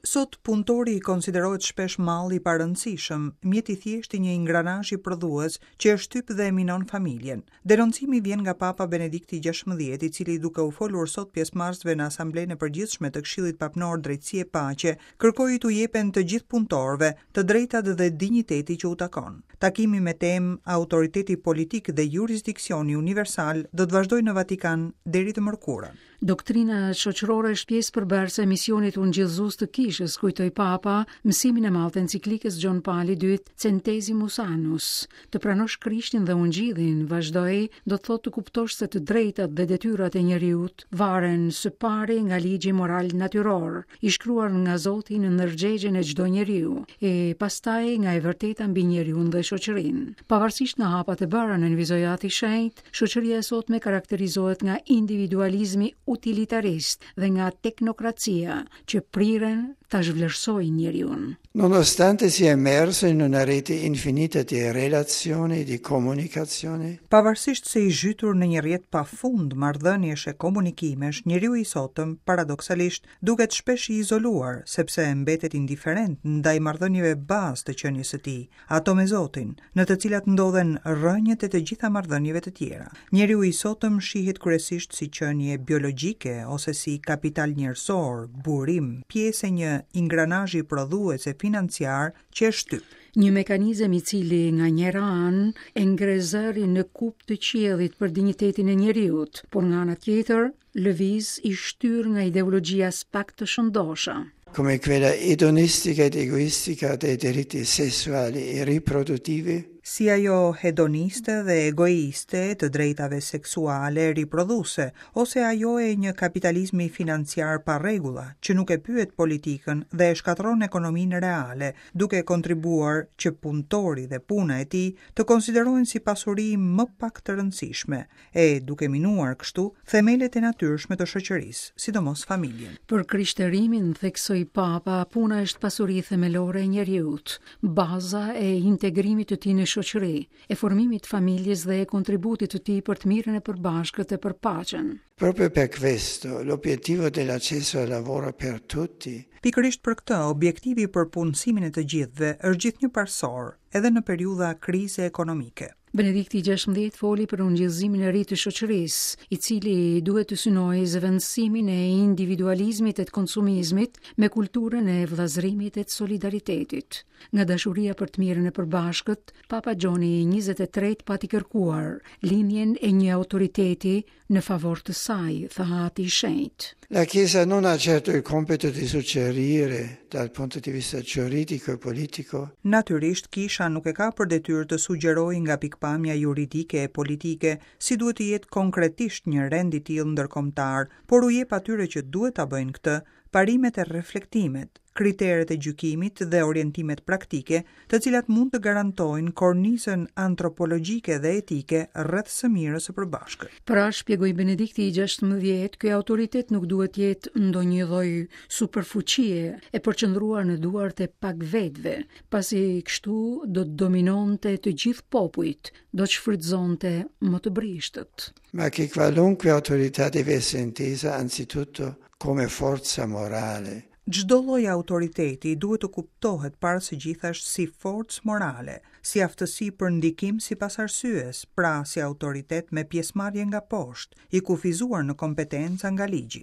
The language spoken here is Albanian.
Sot punëtori konsiderohet shpesh mall i parëndësishëm, mjet i thjeshtë i një ingranazhi prodhues që e shtyp dhe e minon familjen. Denoncimi vjen nga Papa Benedikti XVI, i cili duke u folur sot pjesëmarrësve në Asamblenë e Përgjithshme të Këshillit Papnor Drejtësi e Paqe, kërkoi t'u jepen të gjithë punëtorëve të drejtat dhe dinjiteti që u takon. Takimi me temë Autoriteti politik dhe jurisdiksioni universal do të vazhdojë në Vatikan deri të mërkurën. Doktrina shoqërore është pjesë përbërëse e misionit ungjillëzues të Kishës, kujtoi Papa mësimin e madh të enciklikës Gjon Pali II Centesimus Annus. Të pranosh Krishtin dhe Ungjillin, vazhdoi, do të thotë të kuptosh se të drejtat dhe detyrat e njeriut varen së pari nga ligji moral natyror, i shkruar nga Zoti në ndërgjegjen e çdo njeriu, e pastaj nga e vërteta mbi njeriun dhe shoqërinë. Pavarësisht nga hapat e bëra, nënvizoi Ati i Shenjtë, shoqëria e sotme karakterizohet nga individualizmi utilitarist dhe nga teknokracia që priren ta zhvlerësojnë njeriun. Nonostante sia immerso in una rete infinita di relazioni, di comunicazioni, Pavarësisht se i zhytur në një rrjet pa fund marrëdhëniesh e komunikimesh, njeriu i sotëm, paradoksalisht, duket shpesh i izoluar, sepse mbetet indiferent ndaj marrëdhënieve bazë të qenies së tij, ato me Zotin, në të cilat ndodhen rrënjët e të gjitha marrëdhënieve të tjera. Njeriu i sotëm shihet kryesisht si qenie biologjike ose si kapital njerëzor, burim, pjesë e një ingranazhi prodhues e financiar që e shtyp. Një mekanizëm i cili nga njëra anë e ngre zërin në kupë të qiellit për dinjitetin e njeriut, por nga ana tjetër lëviz i shtyrë nga ideologji aspak të shëndosha. Come quella edonistica ed egoistica dei diritti sessuali e riproduttivi, si ajo hedoniste dhe egoiste e të drejtave seksuale e riprodhuese, ose ajo e një kapitalizmi financiar pa rregulla, që nuk e pyet politikën dhe e shkatërron ekonominë reale, duke kontribuar që punëtori dhe puna e tij të konsiderohen si pasuri më pak të rëndësishme, e duke minuar kështu themelet e natyrshme të shoqërisë, sidomos familjen. Për krishterimin, theksoi Papa, puna është pasuri themelore e njeriut, baza e integrimit të tij në shoqëri, e formimit të familjes dhe e kontributit të tij për të mirën e përbashkët e për paqen. Proprio per questo, l'obiettivo dell'accesso al lavoro per tutti Pikërisht për këtë, objektivi për punësimin e të gjithëve është gjithnjë parësor, edhe në periudha krize ekonomike. Benedikti XVI foli për ungjillëzimin e ri të shoqërisë, i cili duhet të synojë zëvendësimin e individualizmit e të konsumizmit me kulturën e vëllazërimit e të solidaritetit. Nga dashuria për të mirën e përbashkët, Papa Gjoni i 23 pati kërkuar lindjen e një autoriteti në favor të saj, tha Ati i Shenjtë. La Chiesa non ha certo il compito di suggerire dal punto di vista giuridico e politico. Natyrisht, Kisha nuk e ka për detyrë të sugjerojë nga pikëpamja juridike e politike si duhet të jetë konkretisht një rend i tillë ndërkombëtar, por u jep atyre që duhet ta bëjnë këtë, parimet e reflektimet, kriteret e gjykimit dhe orientimet praktike, të cilat mund të garantojnë kornizën antropologjike dhe etike rreth së mirës së përbashkët. Pra, shpjegoi Benedikti i XVI, ky autoritet nuk duhet të jetë ndonjë lloj superfuqie e përqendruar në duart e pak vetëve, pasi kështu do të dominonte të gjithë popujt, do të shfrytëzonte më të brishtët. Ma che qualunque autorità deve essere intesa anzitutto come forza morale. Çdo lloj autoriteti duhet të kuptohet para së gjithash si forcë morale, si aftësi për ndikim sipas arsyes, pra si autoritet me pjesëmarrje nga poshtë, i kufizuar në kompetenca nga ligji.